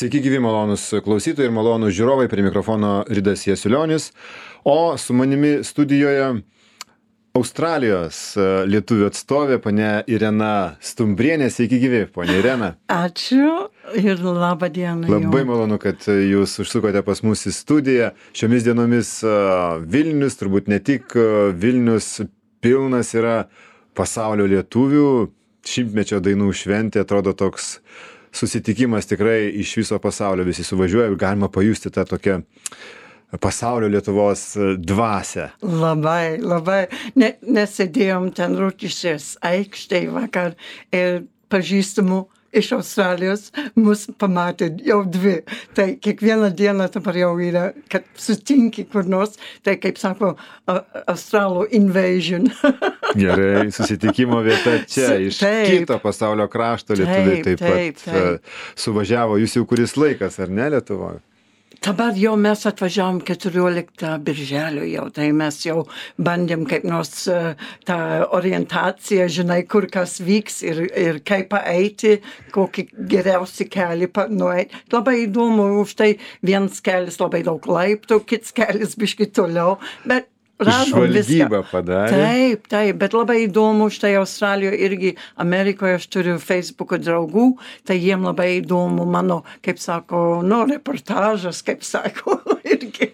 Sveiki gyvi malonūs klausytojai ir malonūs žiūrovai, prie mikrofono Ridas Jasiulionis, o su manimi studijoje Australijos lietuvių atstovė, ponia Irena Stumbrienė. Sveiki gyvi, ponia Irena. Ačiū ir labą dieną. Labai malonu, kad jūs užsukote pas mus į studiją. Šiomis dienomis Vilnius, turbūt ne tik Vilnius, pilnas yra pasaulio lietuvių. Šimtmečio dainų šventė, atrodo toks susitikimas tikrai iš viso pasaulio, visi suvažiuoja ir galima pajusti tą tokią pasaulio Lietuvos dvasią. Labai. Nesėdėjom ten Rotušės aikštėje vakar ir pažįstamų iš Australijos mus pamatė jau dvi. Tai kiekvieną dieną dabar jau yra, kad sutinki kur nors, tai kaip sako, Australų invasion. Gerai, susitikimo vieta čia, iš kito pasaulio krašto lietuviai taip pat suvažiavo. Jūs jau kuris laikas, ar ne, Lietuvoje? Dabar jau mes atvažiavom 14 birželio jau, tai mes jau bandėm kaip nors tą orientaciją, žinai, kur kas vyks ir kaip eiti, kokį geriausią kelią nueiti. Labai įdomu, už tai vienas kelias labai daug laiptų, kits kelias biški toliau, bet radom viską. Žvalgybą padarė. Taip, bet labai įdomu, štai Australijoje irgi, Amerikoje aš turiu Facebooko draugų, tai jiem labai įdomu mano, kaip sako, reportažas, kaip sako, irgi.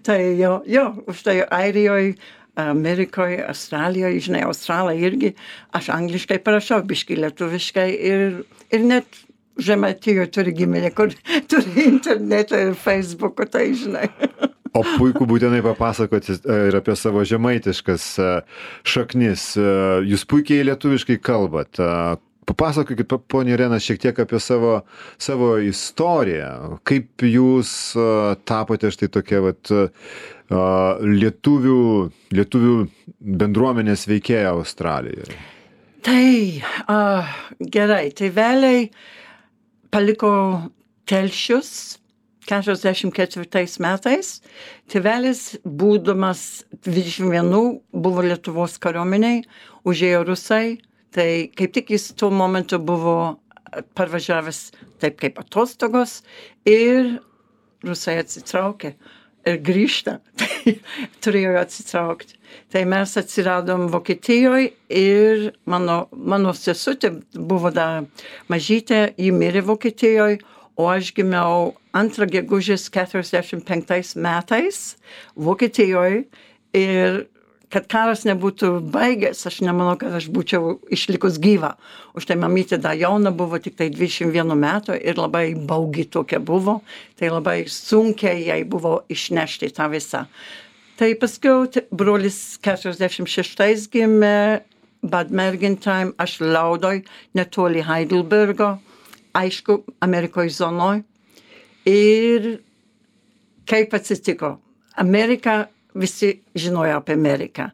Tai jo, už tai Airijoje, Amerikoje, Australijoje, žinai, Australai irgi, aš angliškai parašau, biški lietuviškai ir net Žemaitijoje turi giminę, kur turi internetą ir Facebooką, tai žinai. O puiku būtinai papasakoti ir apie savo žemaitiškas šaknis. Jūs puikiai lietuviškai kalbat. Papasakokit, ponia Irena, šiek tiek apie savo istoriją. Kaip jūs tapote štai tokia lietuvių bendruomenės veikėja Australijoje? Tai gerai, tai vėliai paliko Telšius 44 metais. Tėvelis, būdamas 21, buvo Lietuvos kariuomeniai, užėjo rusai, tai kaip tik jis tuo momentu buvo parvažiavęs taip kaip atostogos ir rusai atsitraukė ir grįžta, tai turėjo atsitraukti. Tai mes atsiradom Vokietijoje ir mano sesutė buvo dar mažytė, ji mirė Vokietijoje, o aš gimiau 2 gegužės 45 metais Vokietijoje ir kad karas nebūtų baigęs, aš nemanau, kad aš būčiau išlikus gyva. Už tai mamytė dar jauna buvo tik tai 21 metų ir labai baugi tokia buvo, tai labai sunkiai jai buvo išnešti tą visą. Tai paskui brolis 46 gimė Bad Mergentheim, aš Laudoj, netoli Heidelbergo. Aišku, Amerikoje zonoj. Ir kaip atsitiko? Amerika, visi žinojo apie Ameriką,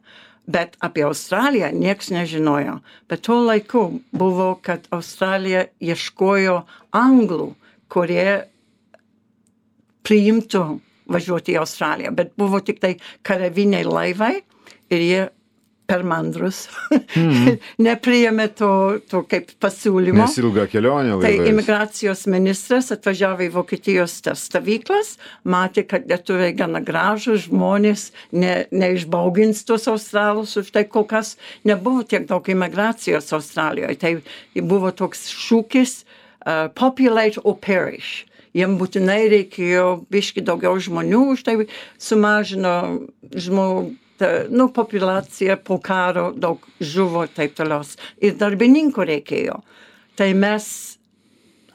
bet apie Australiją nieks nežinojo. Bet tuo laiku buvo, kad Australija ieškojo anglų, kurie priimtų važiuoti į Australiją. Bet buvo tik tai karaviniai laivai ir jie per mandrus. Nepriėmė to kaip pasiūlymo. Nes ilga kelionė laivais. Tai imigracijos ministras atvažiavo į Vokietijos stovyklas, matė, kad lietuviai gana gražūs žmonės, neišbaugins tos australus, už tai kol kas nebuvo tiek daug imigracijos Australijoje. Tai buvo toks šūkis populate or perish. Jiem būtinai reikėjo biški daugiau žmonių, už tai sumažino populiacija po karo daug žuvo taip toliau. Ir darbininkų reikėjo. Tai mes,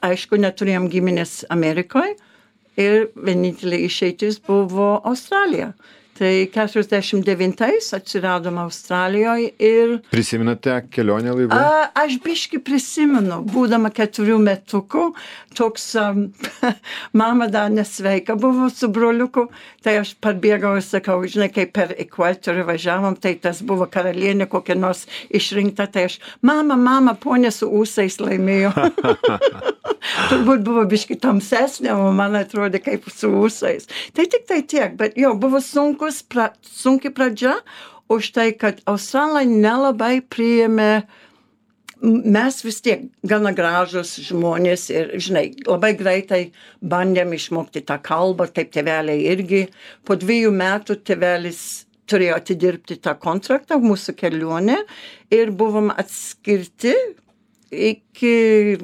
aišku, neturėjom giminės Amerikoje ir vienintelė išeitis buvo Australija. Tai 49 atsiradom Australijoje ir... Prisimenate kelionę laivu? Aš biški prisimenu, būdama 4 metukų, toks mama dar nesveika buvo su broliuku, tai aš parbėgau ir sakau, žinai, kaip per ekvatorių važiavom, tai tas buvo karalienė kokia nors išrinkta, tai aš, mama, ponė su ūsais laimėjo. Turbūt buvo biški tamsesnė, o man atrodė kaip su ūsais. Tai tik tai tiek, bet jo, buvo sunki pradžia, už tai, kad Australai nelabai priėmė mes vis tiek gana gražus žmonės ir, žinai, labai greitai bandėm išmokti tą kalbą, kaip tėveliai irgi. Po 2 metų tėvelis turėjo atidirbti tą kontraktą, mūsų kelionę, ir buvom atskirti iki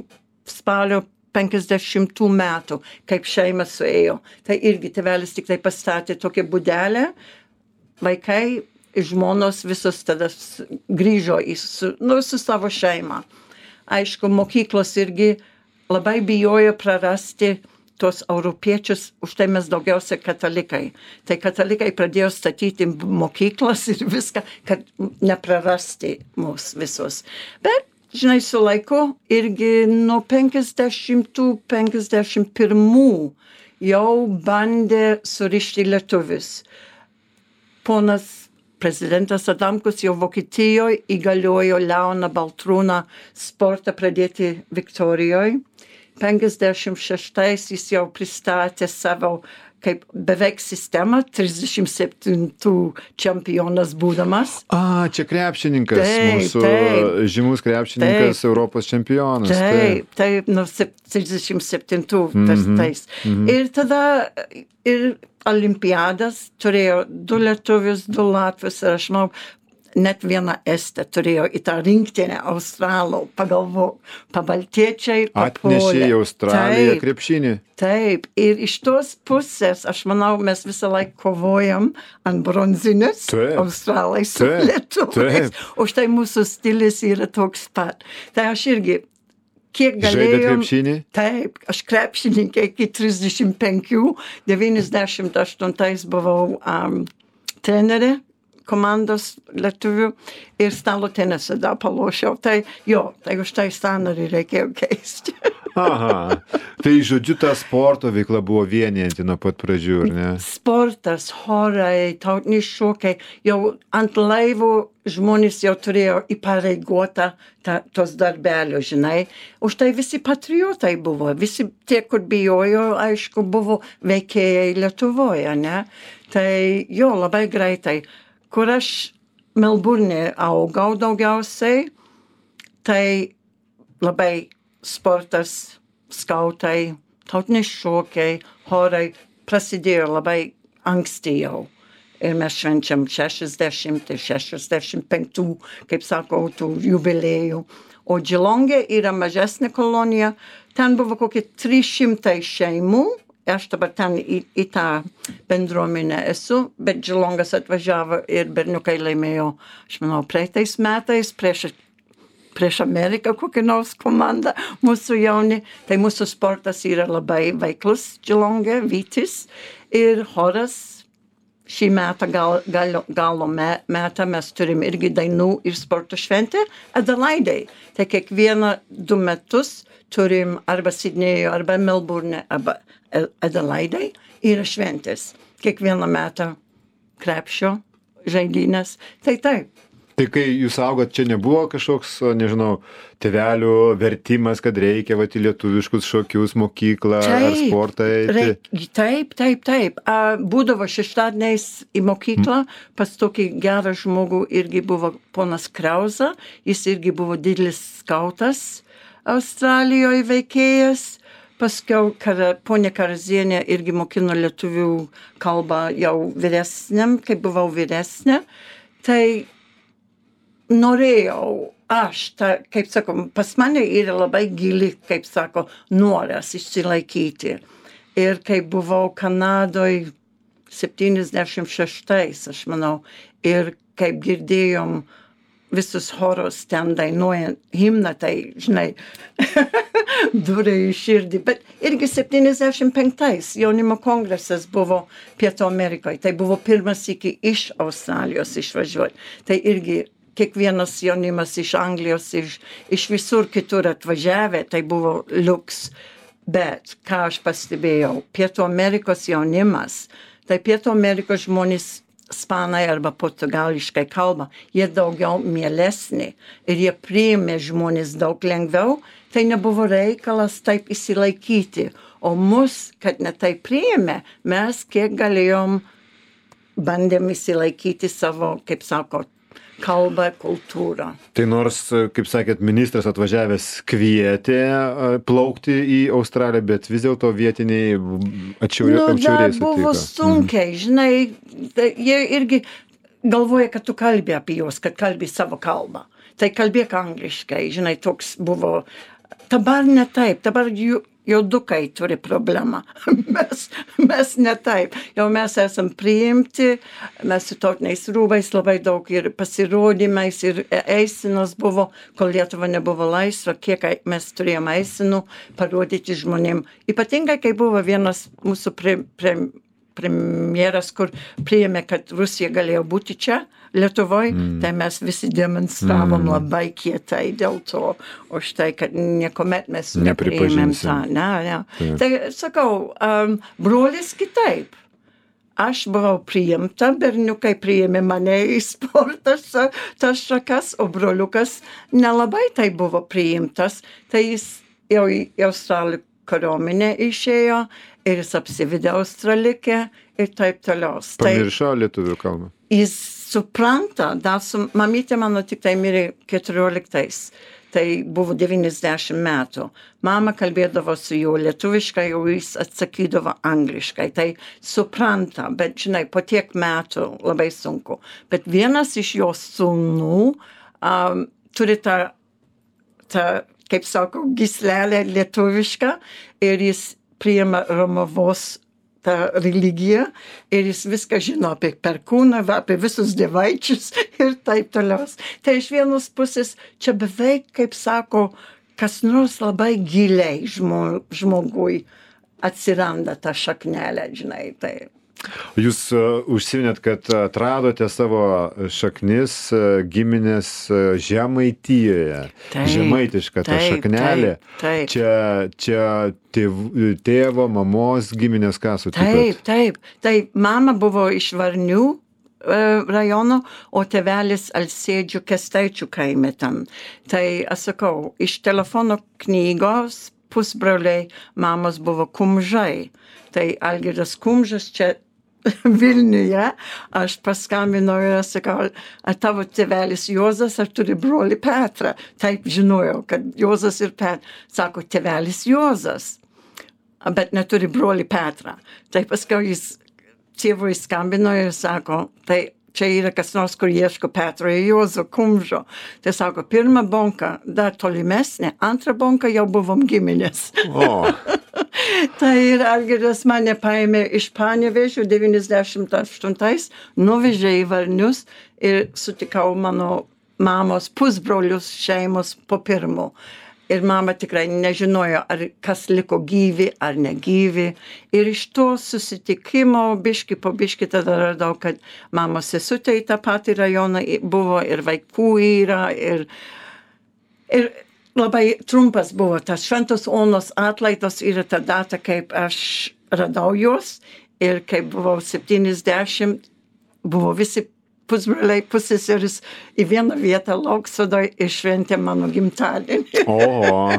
spalio 50 metų, kaip šeima suėjo. Tai irgi tėvelis tik tai pastatė tokią būdelę, vaikai, žmonos visos tada grįžo su savo šeima. Aišku, mokyklos irgi labai bijojo prarasti tos europiečius, už tai mes daugiausia katalikai. Tai katalikai pradėjo statyti mokyklas ir viską, kad neprarasti mus visus. Bet, žinai, su laiku irgi nuo 50-51 jau bandė surišti lietuvius. Ponas prezidentas Adamkus jau Vokietijoje įgaliojo Leoną Baltrūną sportą pradėti Viktorijoje. 56 jis jau pristatė savo kaip beveik sistemą, 37 čempionas būdamas. Čia krepšininkas, mūsų žymus krepšininkas, Europos čempionas. Taip, nuo 37 tais. Ir tada ir olimpiadas turėjo 2 lietuvius, 2 latvius ir aš manau, net vieną estę turėjo į tą rinktinę Australų, pagalvok, pabaltiečiai papuolė. Atnešė į Australiją krepšinį. Taip, ir iš tos pusės, aš manau, mes visą laiką kovojam ant bronzinius Australai su lietuviais. Už tai mūsų stilis yra toks pat. Tai aš irgi kiek galėjom. Žaidėt krepšinį? Taip, aš krepšininkė iki 35, 98 buvau trenerė komandos lietuvių ir stalo tenisą dar palošiau. Tai už tai sąnarį reikėjo keisti. Aha, tai žodžiu, ta sporto veikla buvo vienijanti nuo pat pradžių, ar ne? Sportas, chorai, tautiniai šokiai, jau ant laivų žmonės jau turėjo įpareigotą tos darbelio, žinai. Už tai visi patriotai buvo, visi tie, kur bijojo, aišku, buvo veikėjai Lietuvoje, ne? Tai labai greitai. Kur aš Melburne augau daugiausiai, tai labai sportas, skautai, tautiniai šokiai, chorai prasidėjo labai anksti jau. Ir mes švenčiam 60 ir 65, kaip sakau, tų jubiliejų. O Geelonge yra mažesnė kolonija, ten buvo kokie 300 šeimų. Aš dabar ten į tą bendruomenę esu, bet Geelongas atvažiavo ir berniukai laimėjo, aš manau, praeitais metais prieš Ameriką kokį nors komandą, mūsų jauni. Tai mūsų sportas yra labai veiklus Geelonge, Vytis ir choras. Šį metą galo metą mes turim irgi dainų ir sporto šventę Adelaidai. Tai kiekvieną 2 metus turim arba Sidnėje, arba Melburne, arba Adelaidai yra šventės. Kiekvieną metą krepšio žaidynės. Tai taip. Tai kai jūs augot, čia nebuvo kažkoks, nežinau, tėvelių vertimas, kad reikia į lietuviškus šokius, mokyklą ar sportą eiti? Taip. Būdavo šeštadieniais į mokyklą, pas tokį gerą žmogų irgi buvo ponas Krauza, jis irgi buvo didelis skautas Australijoje veikėjas. Paskiau ponė Karazienė irgi mokino lietuvių kalbą jau vyresniam, kai buvau vyresnė. Tai norėjau aš, kaip sakom, pas mane yra labai gili, kaip sako, noras išsilaikyti. Ir kai buvau Kanadoje 76, aš manau, ir kaip girdėjom visus choros ten dainuojant himną, tai, žinai, durė į širdį. Bet irgi 75 jaunimo kongresas buvo Pietų Amerikoje. Tai buvo pirmas iki iš Australijos išvažiuoti. Tai irgi kiekvienas jaunimas iš Anglijos, iš visur kitur atvažiavę, tai buvo liuks. Bet, ką aš pastebėjau, Pietų Amerikos jaunimas, tai Pietų Amerikos žmonės ispanai arba portugališkai kalba, jie daugiau mielesni ir jie priėmė žmonės daug lengviau, tai nebuvo reikalas taip įsilaikyti. O mus, kad ne taip priėmė, mes kiek galėjom bandėm įsilaikyti savo, kaip sako, kalbą, kultūrą. Tai nors, kaip sakėt, ministras atvažiavęs kvietė plaukti į Australiją, bet vis dėlto vietiniai atšiauriai dar buvo sunkiai, žinai, jie irgi galvoja, kad tu kalbi apie juos, kad kalbi savo kalbą. Tai kalbėk angliškai, žinai, toks buvo. Dabar ne taip, dabar juodukai turi problemą. mes ne taip. Jau mes esam priimti, mes su tautiniais rūbais labai daug ir pasirodymais, ir eisinos buvo, kol Lietuva nebuvo laisva, kiek mes turėjom eisinų parodyti žmonėm. Ypatingai, kai buvo vienas mūsų premjeras, kur priėmė, kad Rusija galėjo būti čia, Lietuvoj, tai mes visi demonstravom labai kietai dėl to, o štai, kad niekuomet mes nepriėmėm tą. Ne. Tai sakau, brolis kitaip. Aš buvau priimta, berniukai priėmė mane į sportą, tas šakas, o broliukas nelabai tai buvo priimtas. Tai jis jau į Australijų kariuomenę išėjo ir jis apsivedė Australikę ir taip toliau. Pamiršo lietuvių kalbą. Jis supranta, mamytė mano tik tai mirė 14, tai buvo 90 metų. Mama kalbėdavo su juo lietuviškai, o jis atsakydavo angliškai. Tai supranta, bet žinai, po tiek metų labai sunku. Bet vienas iš jos sūnų turi tą, kaip sako, gyslelę lietuvišką ir jis priima Romavos tą religiją ir jis viską žino apie perkūną, apie visus dievaičius ir taip toliau. Tai iš vienos pusės čia beveik, kaip sako, kas nors labai giliai žmogui atsiranda tą šaknelę, žinai, tai. Jūs užsiminėt, kad atradote savo šaknis giminės Žemaitijoje. Žemaitiška ta šaknelė. Taip. Čia tėvo, mamos giminės ką sutikot? Taip. Tai mama buvo iš Varnių rajono, o tėvelis Alsėdžių Kestaičių kaime ten. Tai, aš sakau, iš telefono knygos pusbroliai mamos buvo Kumžai. Tai Algirdas Kumžas čia Vilniuje, aš paskambinau ir sakau, ar tavo tėvelis Juozas, ar turi brolį Petrą? Taip žinojau, kad Juozas ir Petras. Sako, tėvelis Juozas, bet neturi brolį Petrą. Tai paskui jis tėvui skambino ir sako, tai čia yra kas nors, kur ieško Petro ir Juozo Kumžo. Tai sako, pirma bonka dar tolimesnė, antra bonka jau buvom giminės. O. Tai ir Algirdas mane paėmė iš Panevėžio 98, nuvežė į Varnius ir sutikau mano mamos pusbrolius šeimos po pirmo. Ir mama tikrai nežinojo, ar kas liko gyvi, ar negyvi. Ir iš to susitikimo biški po biški tada radau, kad mamos sesutė į tą patį rajoną buvo ir vaikų yra. Ir labai trumpas buvo tas Šventos Onos atlaidos yra ta data, kaip aš radau juos. Ir kai buvau 70, buvo visi pusbroliai, pusseserės į vieną vietą Lauksodoj ir šventė mano gimtadienį. Oho,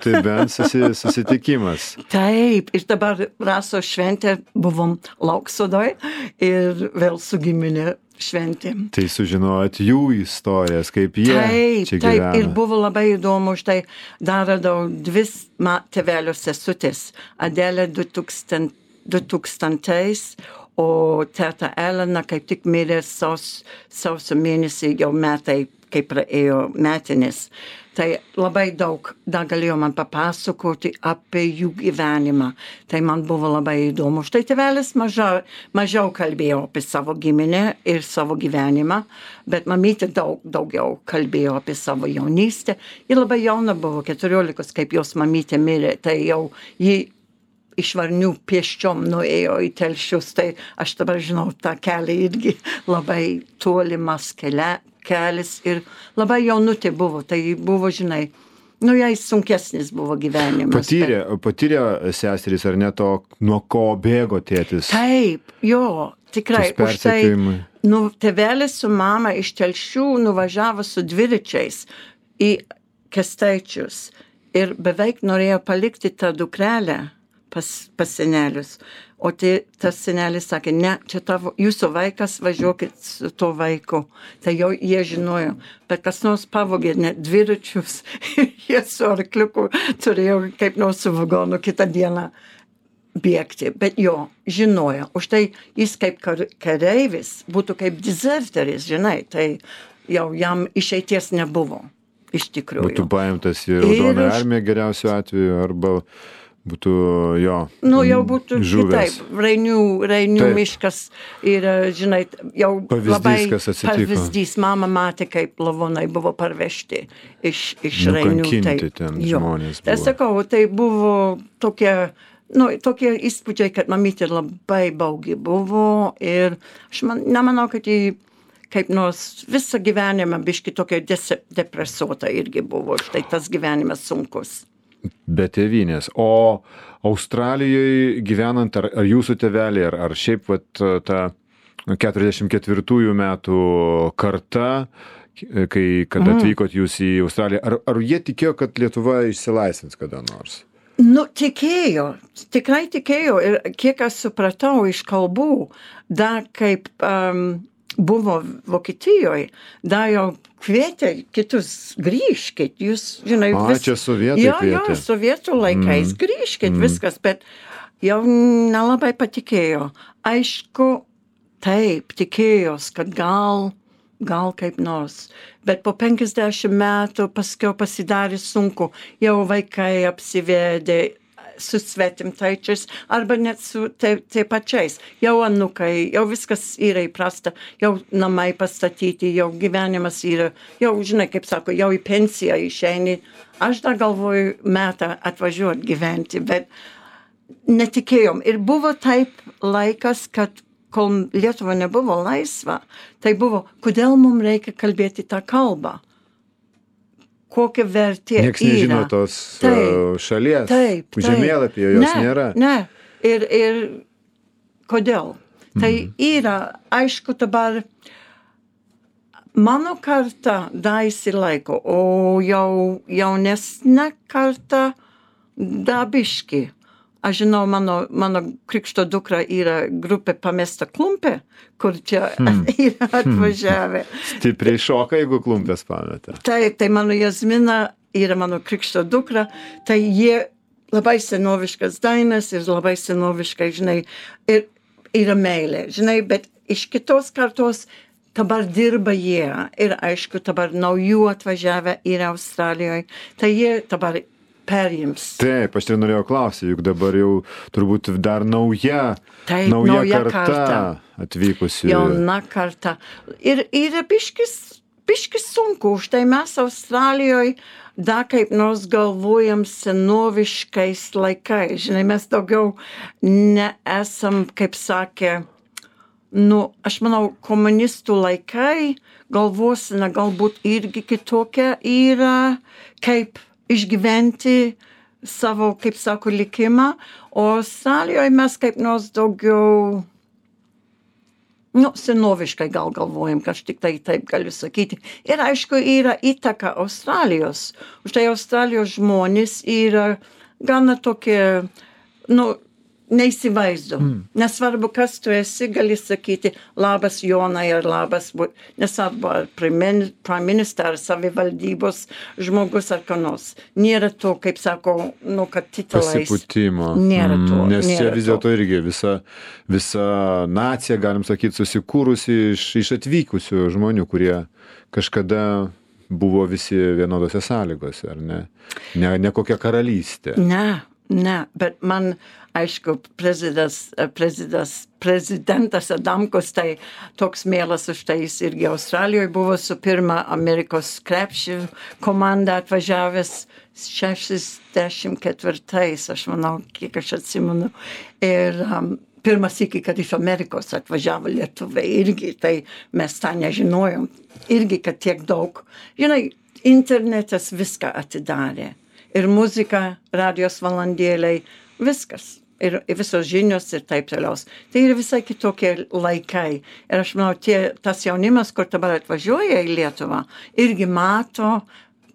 tai bent susitikimas. Taip, ir dabar Raso šventė buvom Lauksodoj ir vėl su giminė šventėm. Tai sužinojot jų istorijas, kaip jie čia gyvena. Taip, ir buvo labai įdomu, štai dar radau dvi tėvelio sesutės. Adelė 2000, o teta Elena kaip tik mirė sausio mėnesį, jau metai, kaip praėjo metinės. Tai labai daug dar galėjo man papasakoti apie jų gyvenimą. Tai man buvo labai įdomu. Štai tėvelis mažiau kalbėjo apie savo giminę ir savo gyvenimą, bet mamytė daugiau kalbėjo apie savo jaunystę. Ji labai jauna buvo, 14, kaip jos mamytė mirė. Tai jau ji iš Varnių pieščiom nuėjo į Telšius, tai aš dabar žinau tą kelią irgi labai tolimas kelias ir labai jaunutė buvo, tai buvo, žinai, jai sunkesnis buvo gyvenimas. Patyrė seserys ar ne to, nuo ko bėgo tėtis? Taip, jo, tikrai. Už tai, tėvelis su mama iš Telšių nuvažiavo su dviračiais į Kestaičius ir beveik norėjo palikti tą dukrelę pas senelius. O tas senelis sakė, ne, čia jūsų vaikas, važiuokit su to vaiku. Tai jau jie žinojo. Bet kas nors pavogė net dviračius, jie su arkliuku turėjo kaip nors su vagonu kitą dieną bėgti. Bet jo, žinojo. Už tai jis kaip kareivis būtų kaip dezerteris, žinai. Tai jau jam išeities nebuvo, iš tikrųjų. Būtų paimtas į Raudoną armiją geriausiu atveju, arba būtų jo jau būtų žuvęs. Kitaip. Rainių miškas yra, žinai, jau pavyzdys, labai kas atsitiko. Pavyzdys. Mama matė, kaip lavonai buvo parvežti iš Rainių. Nukankinti ten žmonės buvo. Tai sakau, tai buvo tokie įspūdžiai, kad mamytė labai baugi buvo ir aš nemanau, kad jį kaip nors visą gyvenimą biški tokia depresuota irgi buvo. Štai tas gyvenimas sunkus. Be tėvynės. O Australijoje gyvenant, ar jūsų tėveliai, ar šiaip ta 44 metų karta, kad atvykot jūs į Australiją, ar jie tikėjo, kad Lietuva išsilaisvins kada nors? Tikėjo, tikrai tikėjo. Ir kiek aš supratau iš kalbų, dar kaip buvo Vokietijoje, dar jau kvietė kitus, grįžkit, jūs, žinai, čia sovietai kvietė. Jo, sovietų laikais, grįžkit, viskas, bet jau nelabai patikėjo. Aišku, taip, tikėjos, kad gal kaip nors, bet po 50 metų paskiau pasidarė sunku, jau vaikai apsivedė su svetimtaičiais, arba net su tai pačiais. Jau anukai, jau viskas yra įprasta, jau namai pastatyti, jau gyvenimas yra, jau, žinai, kaip sako, jau į pensiją išeini. Aš dar galvoju metą atvažiuoti gyventi, bet netikėjom. Ir buvo taip laikas, kad kol Lietuva nebuvo laisva, tai buvo, kodėl mums reikia kalbėti tą kalbą? Kokia vertė yra. Niekas nežino tos šalies. Taip. Žemėlapyje jos nėra. Ne. Ir kodėl? Tai yra, aišku, dabar mano karta dar įsilaiko, o jau jaunesnė karta dabiški. Aš žinau, mano krikšto dukra yra grupė Pamesta klumpė, kur čia yra atvažiavę. Stipriai šoka, jeigu klumpės pameta. Tai mano Jazmina yra mano krikšto dukra, tai jie labai senoviškas dainas ir labai senoviškai, žinai, ir yra meilė, žinai, bet iš kitos kartos dabar dirba jie ir aišku, dabar naujų atvažiavę yra Australijoje, tai jie dabar perims. Taip, aš tai norėjau klausyti, juk dabar jau turbūt dar nauja karta atvykusi. Jauna karta. Ir yra biškis sunku, už tai mes Australijoje dar kaip nors galvojam senoviškais laikais. Žinai, mes daugiau nesam, kaip sakė, aš manau, komunistų laikai galvosina galbūt irgi kitokia yra, kaip išgyventi savo, kaip sako, likimą, o Australijoje mes kaip nors daugiau, senoviškai gal galvojam, kad aš tik tai taip galiu sakyti. Ir aišku, yra įtaka Australijos. Už tai Australijos žmonės yra gana tokie, neįsivaizdu. Nesvarbu, kas tu esi, gali sakyti labas Jonai ar labas, nesvarbu, ar prime minister, ar savivaldybos žmogus ar ką nors. Nėra to, kaip sako, kad titulais. Pasipūtimo. Nėra to. Nes čia vis dėlto irgi visa nacija, galim sakyti, susikūrusi iš atvykusių žmonių, kurie kažkada buvo visi vienodose sąlygose, ar ne? Ne kokia karalystė. Ne, bet man, aišku, prezidentas Adamkus, tai toks mielas už tai jis irgi Australijoje buvo su pirma Amerikos krepšių komanda atvažiavęs 64, aš manau, kiek aš atsimenu. Ir pirmas iki, kad iš Amerikos atvažiavo lietuviai irgi, tai mes tą nežinojom. Irgi, kad tiek daug. Žinai, internetas viską atidarė. Ir muzika, radijos valandėliai, viskas. Ir visos žinios ir taip toliau. Tai yra visai kitokie laikai. Ir aš manau, tas jaunimas, kur dabar atvažiuoja į Lietuvą, irgi mato,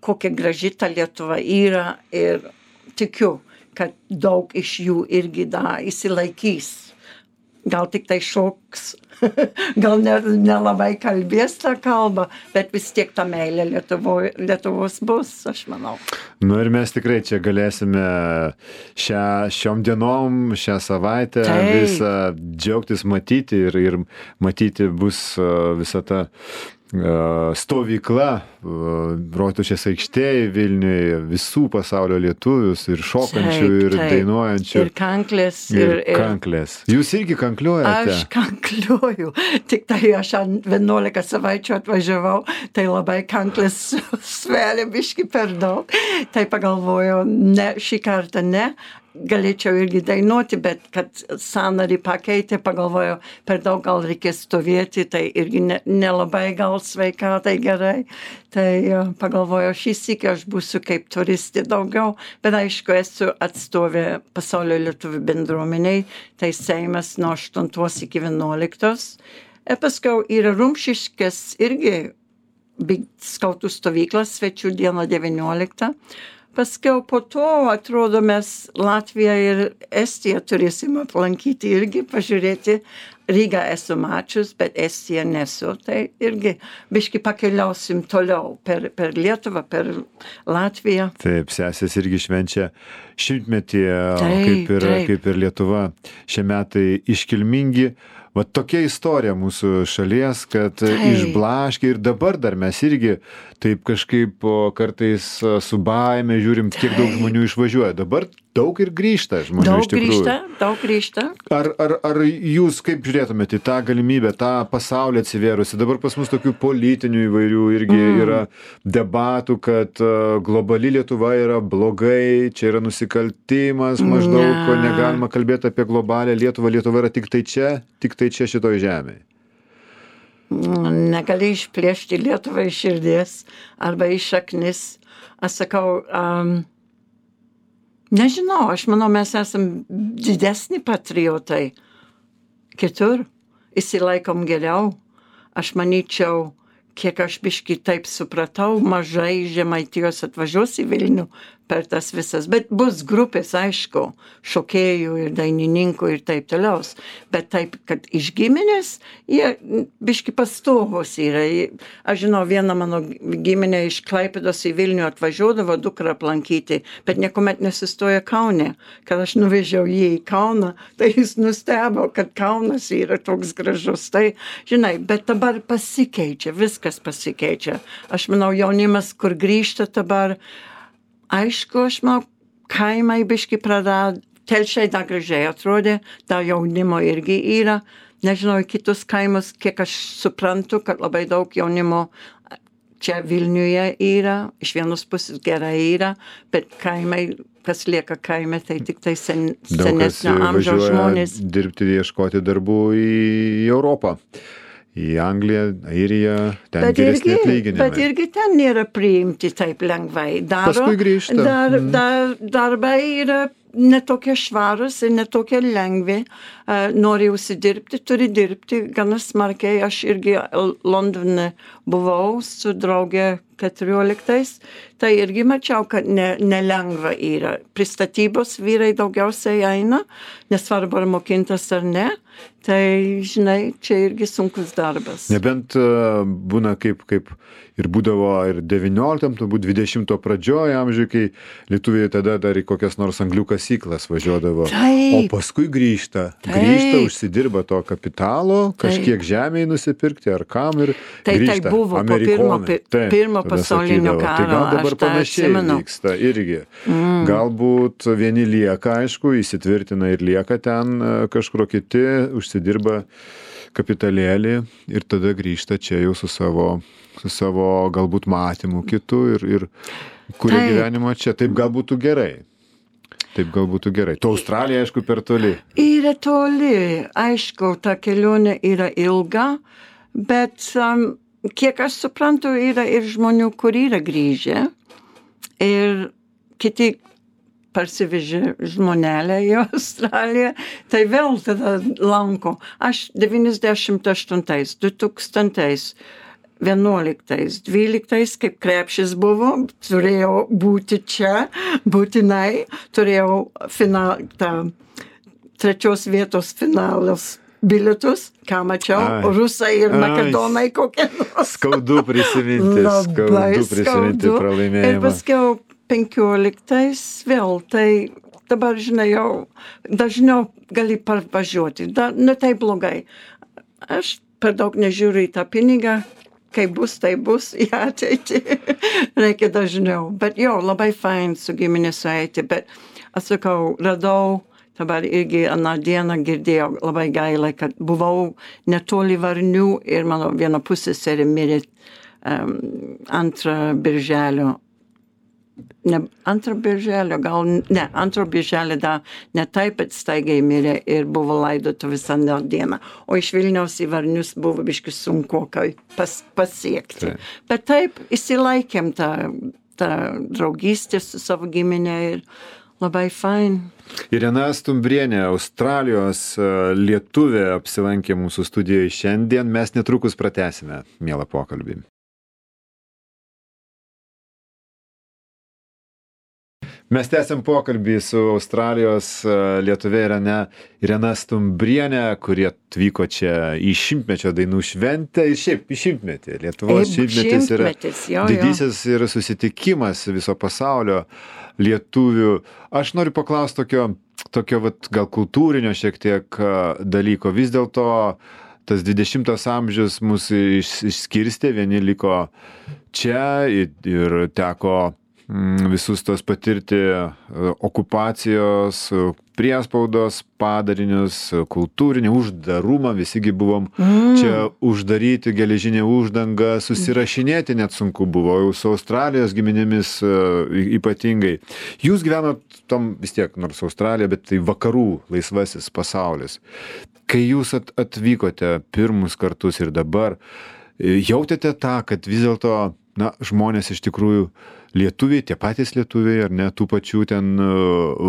kokia graži ta Lietuva yra. Ir tikiu, kad daug iš jų irgi įsilaikys. Gal tik tai šoks, gal nelabai kalbės tą kalbą, bet vis tiek ta meilė Lietuvos bus, aš manau. Nu ir mes tikrai čia galėsime šiom dienom, šią savaitę visą džiaugtis matyti ir matyti bus visa ta stovykla Rotušės aikštėje Vilniuje, visų pasaulio lietuvius ir šokančių, ir dainuojančių. Ir kanklės. Ir kanklės. Jūs irgi kankliuojate? Aš kankliuoju. Tik tai aš 11 savaičių atvažiavau, tai labai kanklės sveria biški per daug. Tai pagalvojau, ne, šį kartą ne. Galėčiau irgi dainuoti, bet kad sąnarį pakeitė, pagalvojau, per daug gal reikės stovėti, tai irgi nelabai gal sveikatai gerai. Tai pagalvojau, šį sykį aš būsiu kaip turistė daugiau, bet aišku, esu atstovė pasaulio lietuvių bendruomeniai, tai Seimas nuo 8 iki 11. Paskui yra Rumšiškės irgi skautų stovyklas, svečių dieną 19. Paskiau po to, atrodo, mes Latviją ir Estiją turėsim aplankyti irgi, pažiūrėti. Rygą esu mačius, bet Estiją nesu. Tai irgi biški pakeliausim toliau per Lietuvą, per Latviją. Taip, sesės irgi švenčia 100-metį, kaip ir Lietuva. Šie metai iškilmingi. Va tokia istorija mūsų šalies, kad išblaškė ir dabar dar mes irgi taip kažkaip kartais su baime žiūrim, kiek daug žmonių išvažiuoja. Dabar daug ir grįžta žmonių iš tikrųjų. Daug grįžta. Ar jūs kaip žiūrėtumėte į tą galimybę, tą pasaulį atsivėrusi? Dabar pas mus tokių politinių įvairių irgi yra debatų, kad globali Lietuva yra blogai, čia yra nusikaltimas, maždaug negalima kalbėti apie globalę Lietuvą. Lietuva yra tik tai čia šitoj žemėje. Negali išplėšti Lietuvą iš širdies arba iš šaknis. Aš sakau, nežinau, aš manau, mes esam didesni patriotai. Kitur įsilaikom geriau. Aš manyčiau, kiek aš biški taip supratau, mažai Žemaitijos atvažiuos į Vilnių per tas visas. Bet bus grupės, aišku, šokėjų ir dainininkų ir taip toliau. Bet taip, kad iš giminės, jie biški pastovus yra. Aš žinau, viena mano giminė iš Klaipėdos į Vilnių atvažiuodavo dukrą aplankyti, bet niekuomet nesustoja Kaune. Kad aš nuvežiau jį į Kauną, tai jis nustebo, kad Kaunas yra toks gražus. Tai, žinai, bet dabar pasikeičia, viskas pasikeičia. Aš manau, jaunimas, kur grįžta dabar, aišku, aš manau, kaimai biški prarado, Telšiai dar gražiai atrodė, dar jaunimo irgi yra. Nežinau, kitus kaimus, kiek aš suprantu, kad labai daug jaunimo čia Vilniuje yra, iš vienos pusės gerai yra, bet kaimai, kas lieka kaime, tai tik tai senesnio amžiaus žmonės. Daug kas dirbti, ieškoti darbų į Europą. Į Angliją, Airiją, ten geresni atlyginimai. Bet irgi ten nėra priimti taip lengvai. Paskui grįžta. Darbai yra netokie švarus ir netokie lengvi. Nori užsidirbti, turi dirbti gana smarkiai. Aš irgi Londone buvau su draugė 14. Tai irgi mačiau, kad nelengva yra. Pristatybos vyrai daugiausiai eina, nesvarbu ar mokintas ar ne. Tai, žinai, čia irgi sunkus darbas. Nebent būna kaip ir būdavo ir 19, turbūt 20 pradžioje amžiuje, kai lietuviai tada dar į kokias nors anglių kasyklas važiuodavo. O paskui grįžta, užsidirba to kapitalo, kažkiek žemėje nusipirkti ar kam ir grįžta. Tai buvo po pirmo pasaulinio karo. Tai gal dabar panašiai vyksta irgi. Galbūt vieni lieka, aišku, įsitvirtina ir lieka ten, kažkur kiti užsidirba kapitalėlį ir tada grįžta čia jau su savo galbūt matymu kitų ir kuria gyvenimą čia. Taip gal būtų gerai. To Australija, aišku, per toli. Yra toli. Aišku, ta kelionė yra ilga, bet kiek aš suprantu, yra ir žmonių, kur yra grįžę ir kiti parsivežė žmonelę į Australiją, tai vėl tada lanko. Aš 98, 2000 11, 12, kaip krepšis buvo, turėjau būti čia, būtinai, turėjau trečios vietos finalas bilietus, ką mačiau, rusai ir makedonai kokie nors. Skaudu prisiminti pralaimėjimą. Ir paskiau 15 vėl, tai dabar, žinai, jau dažniau gali parvažiuoti, ne tai blogai. Aš per daug nežiūriu į tą pinigą, kai bus, tai bus į ateitį. Reikia dažniau. Bet jo, labai fain su giminė sueiti, bet aš sakau, radau, dabar irgi aną dieną girdėjau labai gaila, kad buvau netoli Varnių ir mano viena pusseserė mirė 2 birželio. Ne 2 birželio, gal ne, 2 birželio dar ne taip, bet staigiai mirė ir buvo laidotuvės aną dieną. O iš Vilniaus į Varnius buvo biškai sunku pasiekti. Bet taip, įsilaikėm tą draugystę su savo giminė ir labai fain. Irena Stumbrienė, Australijos lietuvė, apsilankė mūsų studijoje šiandien. Mes netrukus pratęsime mielą pokalbį. Mes tęsiam pokalbį su Australijos lietuvė Irena Stumbrienė, kurie atvyko čia į šimtmečio dainų šventę ir šiaip į šimtmetį. Lietuvos šimtmetis yra didysis ir susitikimas viso pasaulio lietuvių. Aš noriu paklausti tokio vat, gal kultūrinio šiek tiek dalyko. Vis dėlto tas 20 amžius mus išskirstė, vieni liko čia ir teko visus tos patirti okupacijos, priespaudos padarinius, kultūrinį uždarumą, visigi buvom čia uždaryti, geležinė uždanga, susirašinėti net sunku buvo, jau su Australijos giminėmis ypatingai. Jūs gyvenot tam vis tiek, nors Australija, bet tai vakarų laisvasis pasaulis. Kai jūs atvykote pirmus kartus ir dabar, jautėte tą, kad vis dėlto žmonės iš tikrųjų lietuviai, tie patys lietuviai, ar ne, tų pačių ten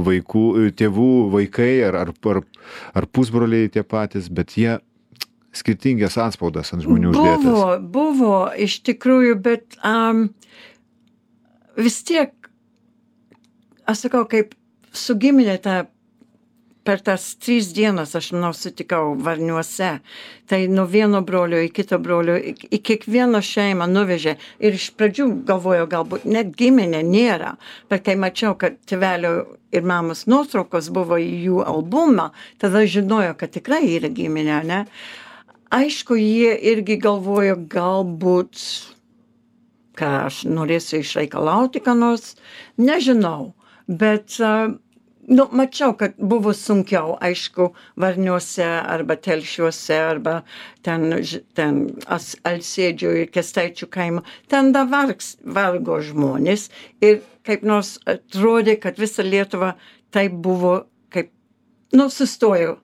vaikų, tėvų, vaikai, ar pusbroliai tie patys, bet jie skirtingas atspaudas ant žmonių uždėtas. Buvo, iš tikrųjų, bet vis tiek, aš sakau, kaip su giminė per tas 3 dienas, aš manau, sutikau Varniuose. Tai nuo vieno brolio į kito brolio, į kiekvieną šeimą nuvežė. Ir iš pradžių galvojau, galbūt net giminė nėra. Bet kai mačiau, kad tėvelio ir mamos nuotraukos buvo į jų albumą, tada žinojo, kad tikrai yra giminė, ne? Aišku, jie irgi galvojo, galbūt, ką aš norėsiu išreikalauti, ką nors, nežinau. Bet mačiau, kad buvo sunkiau, aišku, Varniuose arba Telšiuose arba ten Alsėdžio ir Kęstaičių kaimo. Ten da vargo žmonės ir kaip nors atrodė, kad visa Lietuva taip buvo, kaip, sustojo.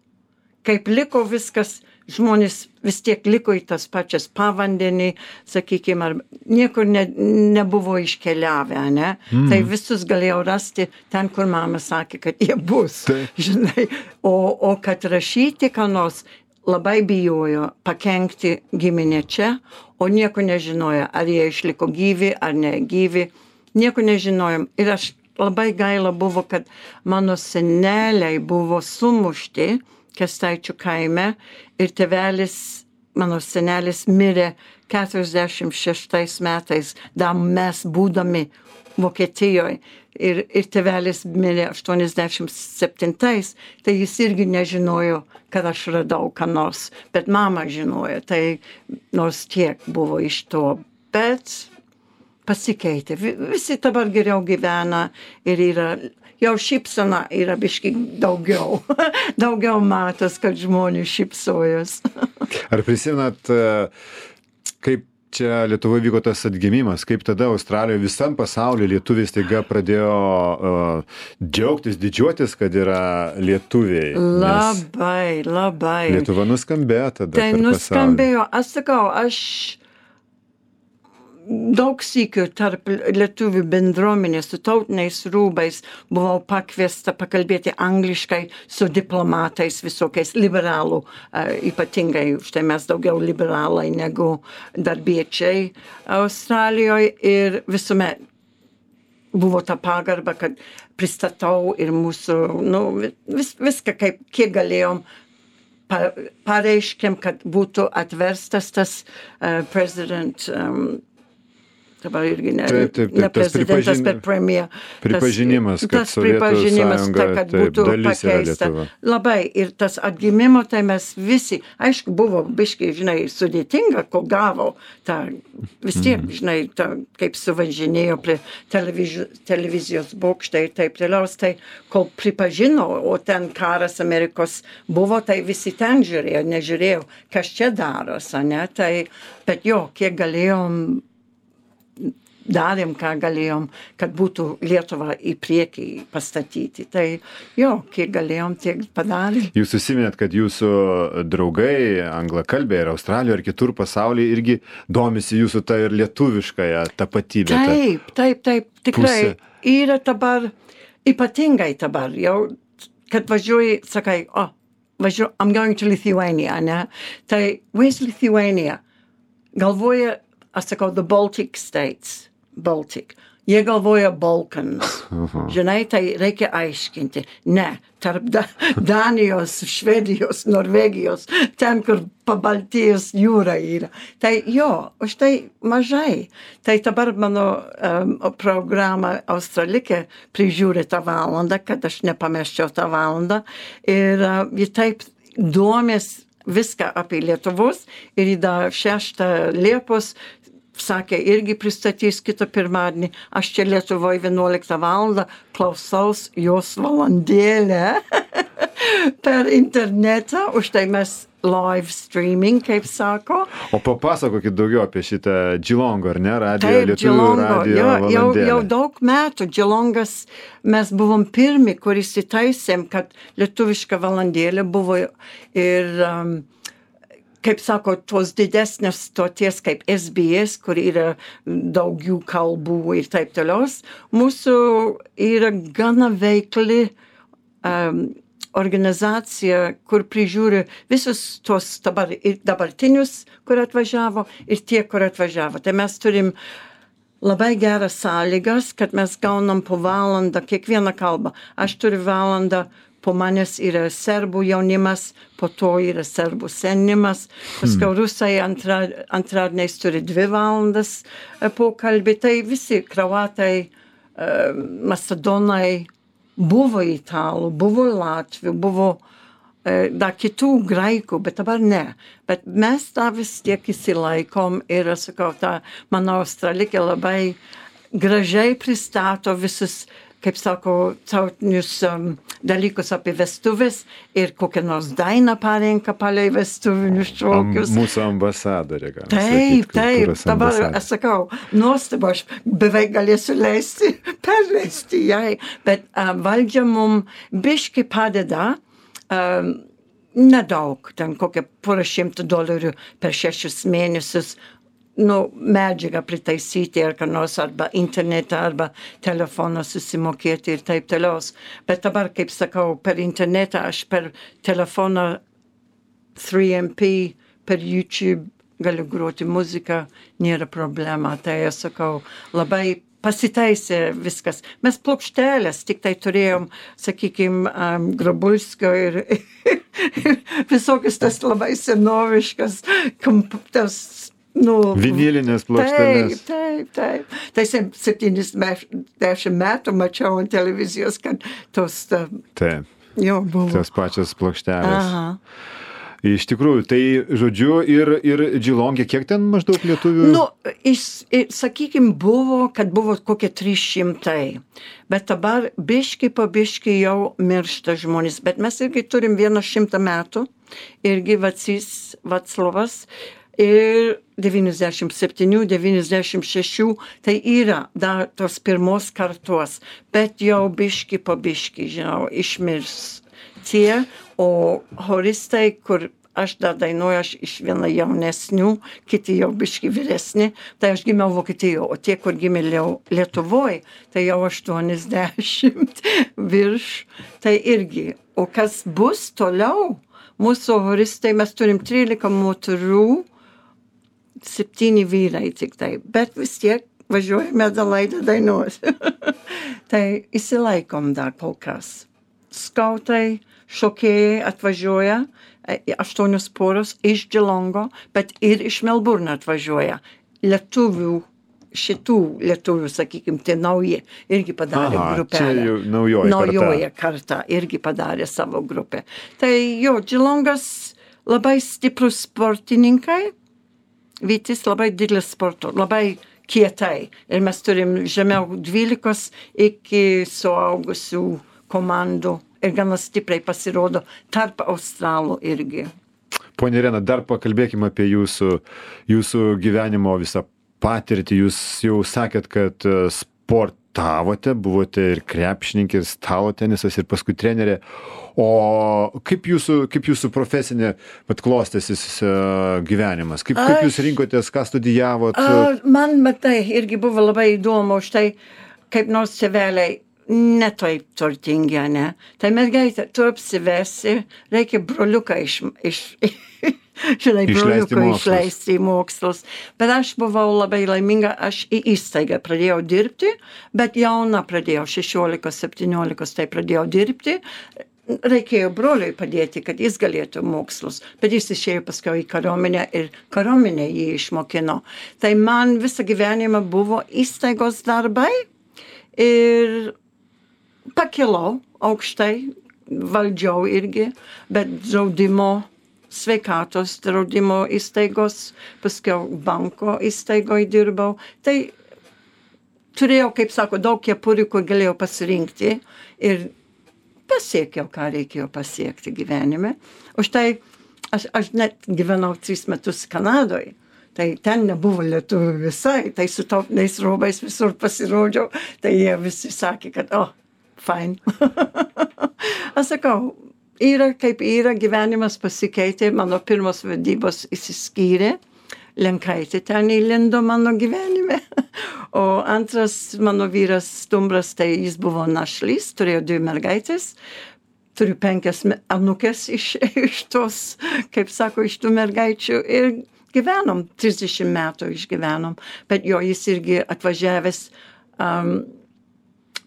Kaip liko viskas, žmonės vis tiek liko į tas pačias pavandenį, sakykime, ar niekur nebuvo iškeliavę, ne? Tai visus galėjau rasti ten, kur mama sakė, kad jie bus, žinai. O kad rašyti, ką nors, labai bijojo pakenkti giminė čia, o nieko nežinojo, ar jie išliko gyvi, ar negyvi, nieko nežinojom. Ir aš labai gaila buvo, kad mano seneliai buvo sumušti Kęstaičių kaime ir tėvelis, mano senelis mirė 46 metais, dar mes būdami Vokietijoje ir tėvelis mirė 87, tai jis irgi nežinojo, kad aš radau ką nors, bet mama žinojo, tai nors tiek buvo iš to, bet pasikeitė. Visi dabar geriau gyvena ir yra jau šypsena yra biški daugiau. Daugiau matos, kad žmonės šypsojos. Ar prisimenat, kaip čia Lietuvoje vyko tas atgimimas, kaip tada Australijoje visam pasauliu lietuviai staiga pradėjo džiaugtis, didžiuotis, kad yra lietuviai? Labai. Lietuva nuskambėjo tada per pasaulį. Tai nuskambėjo, aš sakau, daug sykių tarp lietuvių bendruomenės su tautiniais rūbais buvau pakviesta pakalbėti angliškai su diplomatais visokiais liberalų, ypatingai, štai mes daugiau liberalai negu darbiečiai Australijoje ir visuomet buvo ta pagarba, kad pristatau ir mūsų, viską kiek galėjom pareiškėm, kad būtų atverstas tas prezident, dabar irgi ne prezidentas, bet premjer. Pripažinimas, kad Sovietų Sąjunga kad būtų dalis yra pakeista. Lietuva. Labai. Ir tas atgimimo, tai mes visi, aišku, buvo biškai, sudėtinga, kol gavo tą, vis tiek, kaip suvažinėjo prie televizijos bokštai ir taip toliau, tai kol pripažino, o ten karas Amerikos buvo, tai visi ten žiūrėjo, nežiūrėjo, kas čia darosi, ne? Tai, bet jo, kiek galėjom, darėm, ką galėjom, kad būtų Lietuva į priekį pastatyti. Tai jo, kiek galėjom, tiek padarėm. Jūs užsiminėt, kad jūsų draugai, anglakalbiai ir Australijoje ir kitur pasaulyje irgi domisi jūsų tą ir lietuviškąją tapatybę. Taip, tikrai. Yra dabar, ypatingai dabar, jau, kad važiuoji, sakai, I'm going to Lithuania, ne? Tai, where's Lithuania? Galvoja, aš sakau, the Baltic States. Baltic. Jie galvoja Balkans. Žinai, tai reikia aiškinti. Ne, tarp Danijos, Švedijos, Norvegijos, ten, kur Pabaltijos jūra yra. Tai jo, už tai mažai. Tai dabar mano programa Australikė prižiūri tą valandą, kad aš nepameščiau tą valandą. Ir ji taip domės viską apie Lietuvos ir į 6 Liepos sakė, irgi pristatys kitą pirmadienį. Aš čia Lietuvoje 11 valandą klausaus jos valandėlę per internetą, už tai mes live streaming, kaip sako. O papasakokit daugiau apie šitą Geelongo, ar ne, Lietuvių radijo valandėlę. Jau daug metų Geelongas mes buvom pirmi, kuris įtaisėm, kad lietuviška valandėlė buvo ir kaip sako, tos didesnės stoties kaip SBS, kur yra daugiau kalbų ir taip toliau. Mūsų yra gana veikli organizacija, kur prižiūri visus tos dabartinius, kur atvažiavo ir tie, kur atvažiavo. Tai mes turim labai geras sąlygas, kad mes gaunam po valandą kiekvieną kalbą. Aš turiu valandą, po manęs yra serbų jaunimas, po to yra serbų senimas, paskui rusai antradieniais turi 2 valandas pokalbį, tai visi kroatai, macedonai, buvo italų, buvo latvių, buvo dar kitų graikų, bet dabar ne. Bet mes tą vis tiek įsilaikom ir, sakau, mano Australikė labai gražiai pristato visus, kaip sako, tautinius dalykus apie vestuvės ir kokią nors dainą parenka palei vestuvinius šokius. Mūsų ambasadorė, gal. Taip, dabar aš sakau, nuostabu, aš beveik galėsiu perleisti jai, bet valdžia mum biški padeda, nedaug, ten kokią $100 per 6 mėnesius, medžiagą pritaisyti ar ką nors, arba internetą, arba telefoną susimokėti ir taip toliau. Bet dabar, kaip sakau, per internetą, aš per telefoną 3MP, per YouTube galiu groti muziką, nėra problema. Tai aš sakau, labai pasitaisė viskas. Mes plokštelės, tik tai turėjom, sakykim, Grabulskio ir visokius tas labai senoviškas, tas vinilinės plokštelės. Taip. Tai 70 metų mačiau ant televizijos, kad tos jo buvo. Tos pačios plokštelės. Aha. Iš tikrųjų, tai žodžiu ir Geelonge, kiek ten maždaug lietuvių? Sakykim, buvo kokie 300, bet dabar biški po biški jau miršta žmonės, bet mes irgi turim 100 metų, irgi Vaclovas, ir 97, 96, tai yra dar tos pirmos kartos, bet jau biški po biški, išmirs tie, o horistai, kur aš dar dainuoju, aš iš viena jaunesnių, kiti jau biški vyresni, tai aš gimiau Vokietijoje, o tie, kur gimė Lietuvoje, tai jau 80 virš, tai irgi. O kas bus toliau? Mūsų horistai, mes turim 13 moterų, 7 vyrai tik tai, bet vis tiek važiuojame Adelaida dainuos. Tai įsilaikom dar kol kas. Skautai, šokėjai atvažiuoja, 8 poros iš Geelongo, bet ir iš Melburno atvažiuoja. Šitų lietuvių, sakykim, tai nauji, irgi padarė grupelę. Čia jau naujoji karta irgi padarė savo grupę. Tai jo, Geelongas labai stiprus sportininkai, Vytis labai didelis sporto, labai kietai. Ir mes turim žemiau 12 iki suaugusių komandų ir gana stipriai pasirodo tarp Australų irgi. Ponia Irena, dar pakalbėkime apie jūsų gyvenimo visą patirtį. Jūs jau sakėt, kad sportavote, buvote ir krepšininkė, ir stalo tenisas, ir paskui trenerė. O kaip jūsų profesinė klostėsis gyvenimas? Kaip jūs rinkotės, ką studijavot? Man, matai, irgi buvo labai įdomu, štai kaip nors tėveliai ne taip turtingi, ne? Tai mergaitė, tu apsivesi, reikia broliuką išleisti į mokslus. Bet aš buvau labai laiminga, aš į įstaigą pradėjau dirbti, bet jauna pradėjau, 16-17, tai pradėjau dirbti. Reikėjo broliui padėti, kad jis galėtų mokslus, bet jis išėjo paskui į kariuomenę ir kariuomenė jį išmokino. Tai man visą gyvenimą buvo įstaigos darbai ir pakilau aukštai, valdžiau irgi, bet draudimo, sveikatos draudimo įstaigos, paskui banko įstaigoje dirbau. Tai turėjau, kaip sako, daug kepurių, kur galėjau pasirinkti ir pasiekiau, ką reikėjo pasiekti gyvenime. O štai aš net gyvenau 3 metus Kanadoje. Tai ten nebuvo lietuvių visai, tai su tautiniais rūbais visur pasirodžiau. Tai jie visi sakė, kad, fine. Aš sakau, yra kaip yra, gyvenimas pasikeitė, mano pirmos vedybos išsiskyrė. Lenkaitė ten įlindo mano gyvenime. O antras mano vyras Stumbras, tai jis buvo našlys, turėjo 2 mergaitės. Turiu 5 anūkės iš tos, kaip sako, iš tų mergaičių. Ir gyvenom, 30 metų išgyvenom. Bet jo, jis irgi atvažiavęs,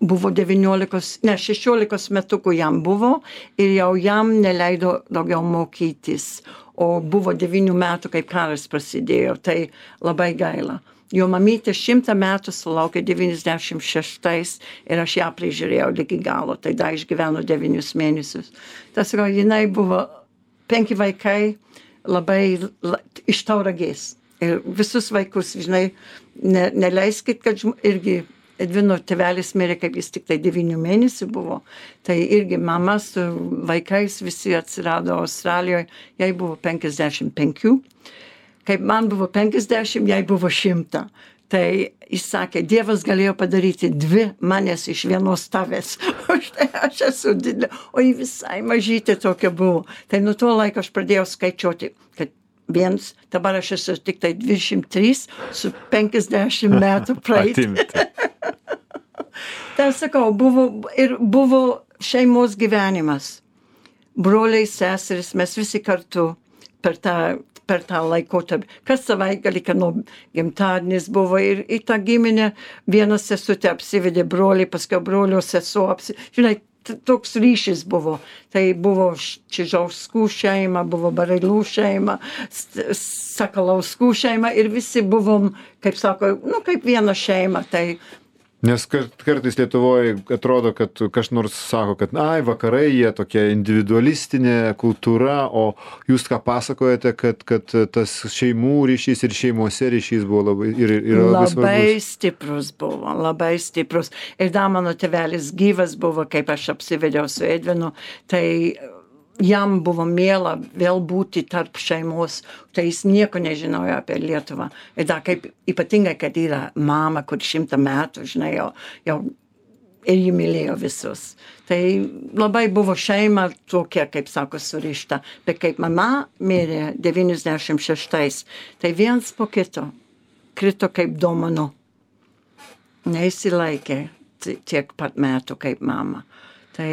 buvo 16 metukų jam buvo ir jau jam neleido daugiau mokytis. O buvo 9 metų, kaip karas prasidėjo, tai labai gaila. Jo mamytė 100 metų sulaukė 96 ir aš ją prižiūrėjau iki galo, tai dar išgyveno 9 mėnesius. Tas, jinai buvo 5 vaikai labai iš Tauragės. Ir visus vaikus, žinai, neleiskit, kad irgi Edvino tėvelis mirė, kaip jis tik tai 9 mėnesių buvo. Tai irgi mama su vaikais visi atsirado Australijoje, jai buvo 55. Kaip man buvo 50, jai buvo 100. Tai jis sakė, Dievas galėjo padaryti 2 manęs iš vienos tavęs. O štai aš esu didelė, o ji visai mažytė tokia buvo. Tai nuo to laiko aš pradėjau skaičiuoti, kad dabar aš esu tik tai 23 su 50 metų praeitį. Tai sakau, buvo šeimos gyvenimas. Broliai, seseris, mes visi kartu per tą laikotarpį. Kas savaitgalį, kad gimtadienis buvo ir į tą giminę vienas sesutė apsivedė broliai, paskui brolio sesuo žinai, toks ryšys buvo. Tai buvo Čižauskų šeima, buvo Barailų šeima, Sakalauskų šeima ir visi buvom, kaip sako, kaip viena šeima. Tai nes kartais Lietuvoje atrodo, kad kas nors sako, kad vakarai jie tokia individualistinė kultūra, o jūs ką pasakojate, kad tas šeimų ryšys ir šeimose ryšys buvo labai svarbus. Labai stiprus buvo, labai stiprus. Ir dar mano tėvelis gyvas buvo, kaip aš apsivedžiau su Edvinu, tai jam buvo miela vėl būti tarp šeimos, tai jis nieko nežinojo apie Lietuvą. Ir dar kaip ypatingai, kad yra mama, kur 100 metų, žinai, jau ir ji mylėjo visus. Tai labai buvo šeima tokia, kaip sako, surišta. Bet kaip mama mirė 96, tai viens po kito krito kaip domino. Neįsilaikė tiek pat metų kaip mama. Tai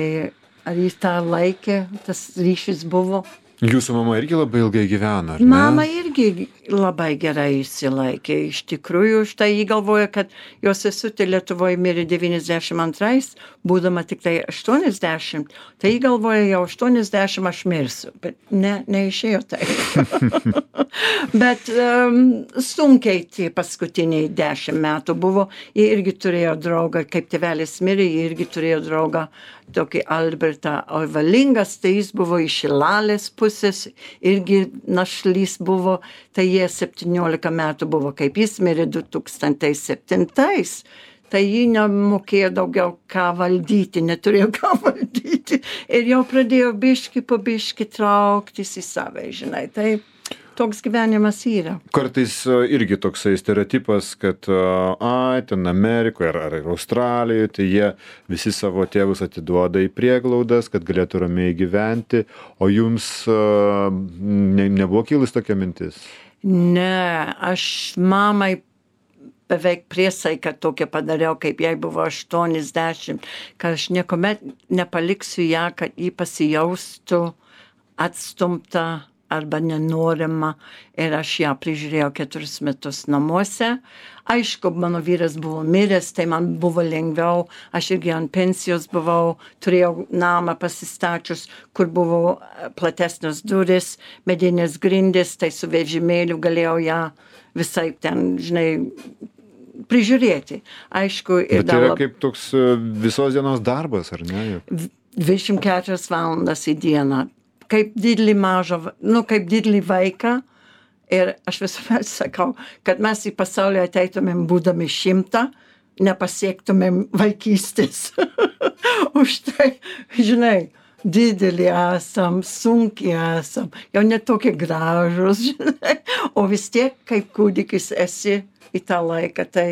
ar jis tą laikė, tas ryšys buvo? Jūsų mama irgi labai ilgai gyveno, ar ne? Mama irgi labai gerai įsilaikė. Iš tikrųjų, štai jį galvoja, kad jos sesutė Lietuvoje mirė 92, būdama tik tai 80. Tai jį galvoja, jau 80 aš mirsiu. Bet neišėjo tai. Bet sunkiai tie paskutiniai 10 metų buvo. Jie irgi turėjo draugą, kaip tėvelis mirė, jie irgi turėjo draugą, tokį Albertą Oivalingas, tai jis buvo iš Šilalės pusės, irgi našlys buvo, tai jie 17 metų buvo, kaip jis mirė 2007. Tai jį nemokėjo daugiau ką valdyti, neturėjo ką valdyti ir jau pradėjo biški po biški trauktis į save, žinai, tai toks gyvenimas yra. Kartais irgi toksai stereotipas, kad ten Amerikoje ar Australijoje, tai jie visi savo tėvus atiduoda į prieglaudas, kad galėtų ramiai gyventi, o jums nebuvo kilus tokia mintis? Ne, aš mamai beveik priesaiką tokią padariau, kaip jai buvo 80, kad aš niekuomet nepaliksiu ją, kad jį pasijaustų atstumta arba nenorima ir aš ją prižiūrėjau 4 metus namuose. Aišku, mano vyras buvo miręs, tai man buvo lengviau, aš irgi ant pensijos buvau, turėjau namą pasistačius, kur buvo platesnės duris, medinės grindys, tai su vežimėliu galėjau ją visai ten, žinai, prižiūrėti. Aišku, ir bet tai yra kaip toks visos dienos darbas, ar ne? 24 valandas į dieną. Kaip didelį mažą, kaip didelį vaiką. Ir aš visuomet sakau, kad mes į pasaulį ateitumėm būdami 100, nepasiektumėm vaikystės. Už tai, žinai, didelį esam, sunkiai esam, jau netokie gražus, žinai. O vis tiek, kaip kūdikis esi į tą laiką, tai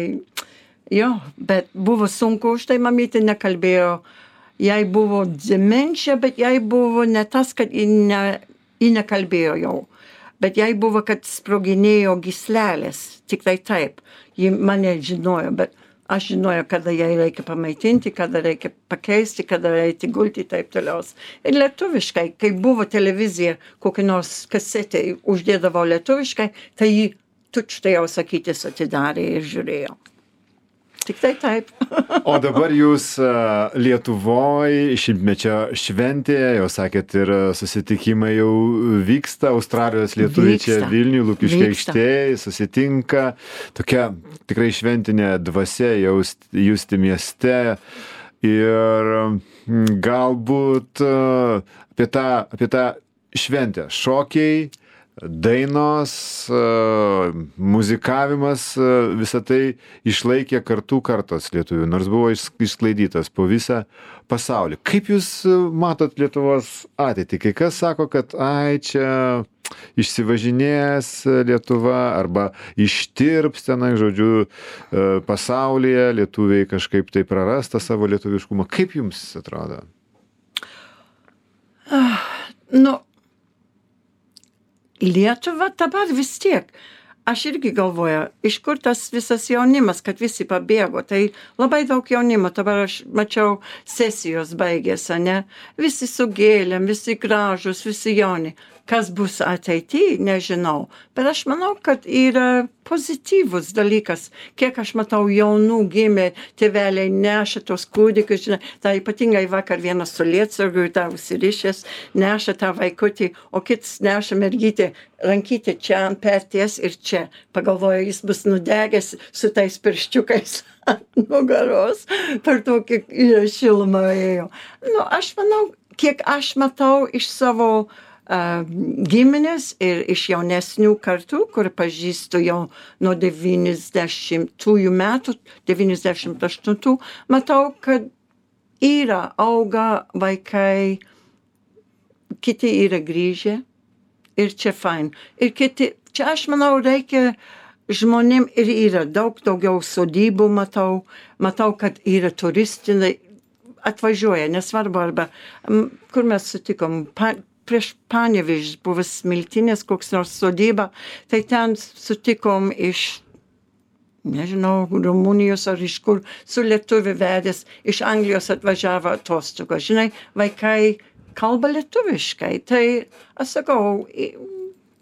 jo, bet buvo sunku, už tai mamytė nekalbėjo. Jai buvo demencija, bet jai buvo ne tas, kad ji nekalbėjo jau. Bet jai buvo, kad sproginėjo gyslelės. Tik tai taip. Ji mane žinojo, bet aš žinojau, kada jai reikia pamaitinti, kada reikia pakeisti, kada reikia gulti, taip toliau. Ir lietuviškai, kai buvo televizija, kokia nors kasetė uždėdavo lietuviškai, tai ji tučtai jau sakytis atidarė ir žiūrėjo. Tik tai taip. O dabar jūs Lietuvoj 100-mečio šventė, jau sakėt, ir susitikimai jau vyksta, Australijos lietuviai čia Vilniuje, Lukiškių aikštėje susitinka, tokia tikrai šventinė dvasia justi mieste ir galbūt apie tą šventę, šokiai, dainos, muzikavimas, visą tai išlaikė kartų kartos lietuvių, nors buvo išsklaidytas po visą pasaulį. Kaip jūs matot Lietuvos ateitį? Kai kas sako, kad čia išsivažinės Lietuva arba ištirps tenai, žodžiu, pasaulyje, lietuviai kažkaip tai prarasta savo lietuviškumą. Kaip jums atrodo? Lietuva dabar vis tiek. Aš irgi galvoju, iš kur tas visas jaunimas, kad visi pabėgo. Tai labai daug jaunimo. Dabar aš mačiau sesijos baigėsi, ne? Visi su gėlėm, visi gražus, visi jauni. Kas bus ateityje, nežinau. Bet aš manau, kad yra pozityvus dalykas. Kiek aš matau jaunų gimė, tėveliai neša tos kūdikius, žinai, tai ypatingai vakar vienas su lietsargiu, tą užsirišęs, neša tą vaikutį, o kitas neša mergytę, rankytę čia ant perties ir čia. Pagalvoju, jis bus nudegęs su tais pirščiukais ant nugaros, per tokį šilumą ėjo. Aš manau, kiek aš matau iš savo giminės ir iš jaunesnių kartų, kur pažįstu jau nuo 90-ųjų metų, 98, matau, kad auga vaikai, kiti yra grįžę ir čia fain. Ir kiti, čia aš manau, reikia žmonėm ir yra daug daugiau sodybų, matau, kad yra atvažiuoja, nesvarbu, arba kur mes sutikom, prieš Panevėžį buvęs Smiltynės, koks nors sodyba, tai ten sutikom iš, nežinau, Rumunijos ar iš kur, su lietuvių vedęs, iš Anglijos atvažiavo atostogų. Žinai, vaikai kalba lietuviškai, tai aš sakau,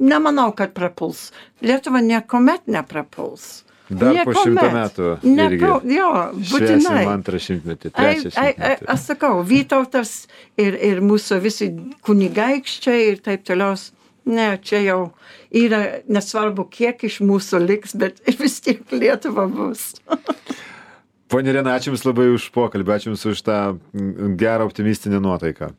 nemanau, kad prapuls. Lietuva niekuomet neprapuls. Dar po 100 metų irgi Jo, būtinai. švęsim 2 šimtmetį, 3 šimtmetį. Aš sakau, Vytautas ir mūsų visi kunigaikščiai ir taip toliau. Ne, čia jau yra nesvarbu, kiek iš mūsų liks, bet vis tiek Lietuva bus. Ponia Irena, ačiū Jums labai už pokalbį, ačiū Jums už tą gerą optimistinę nuotaiką.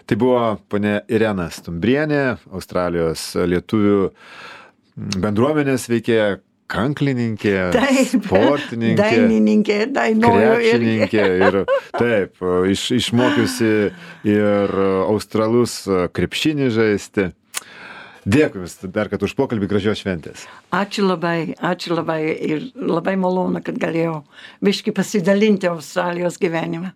Tai buvo ponia Irena Stumbrienė, Australijos lietuvių bendruomenės veikėja, kanklininkė, sportininkė, dainininkė, krepšininkė ir taip, išmokiusi ir australus krepšinį žaisti. Dėkui Jums dar kad už pokalbį, gražios šventės. Ačiū labai ir labai malonu, kad galėjau biškį pasidalinti Australijos gyvenimą.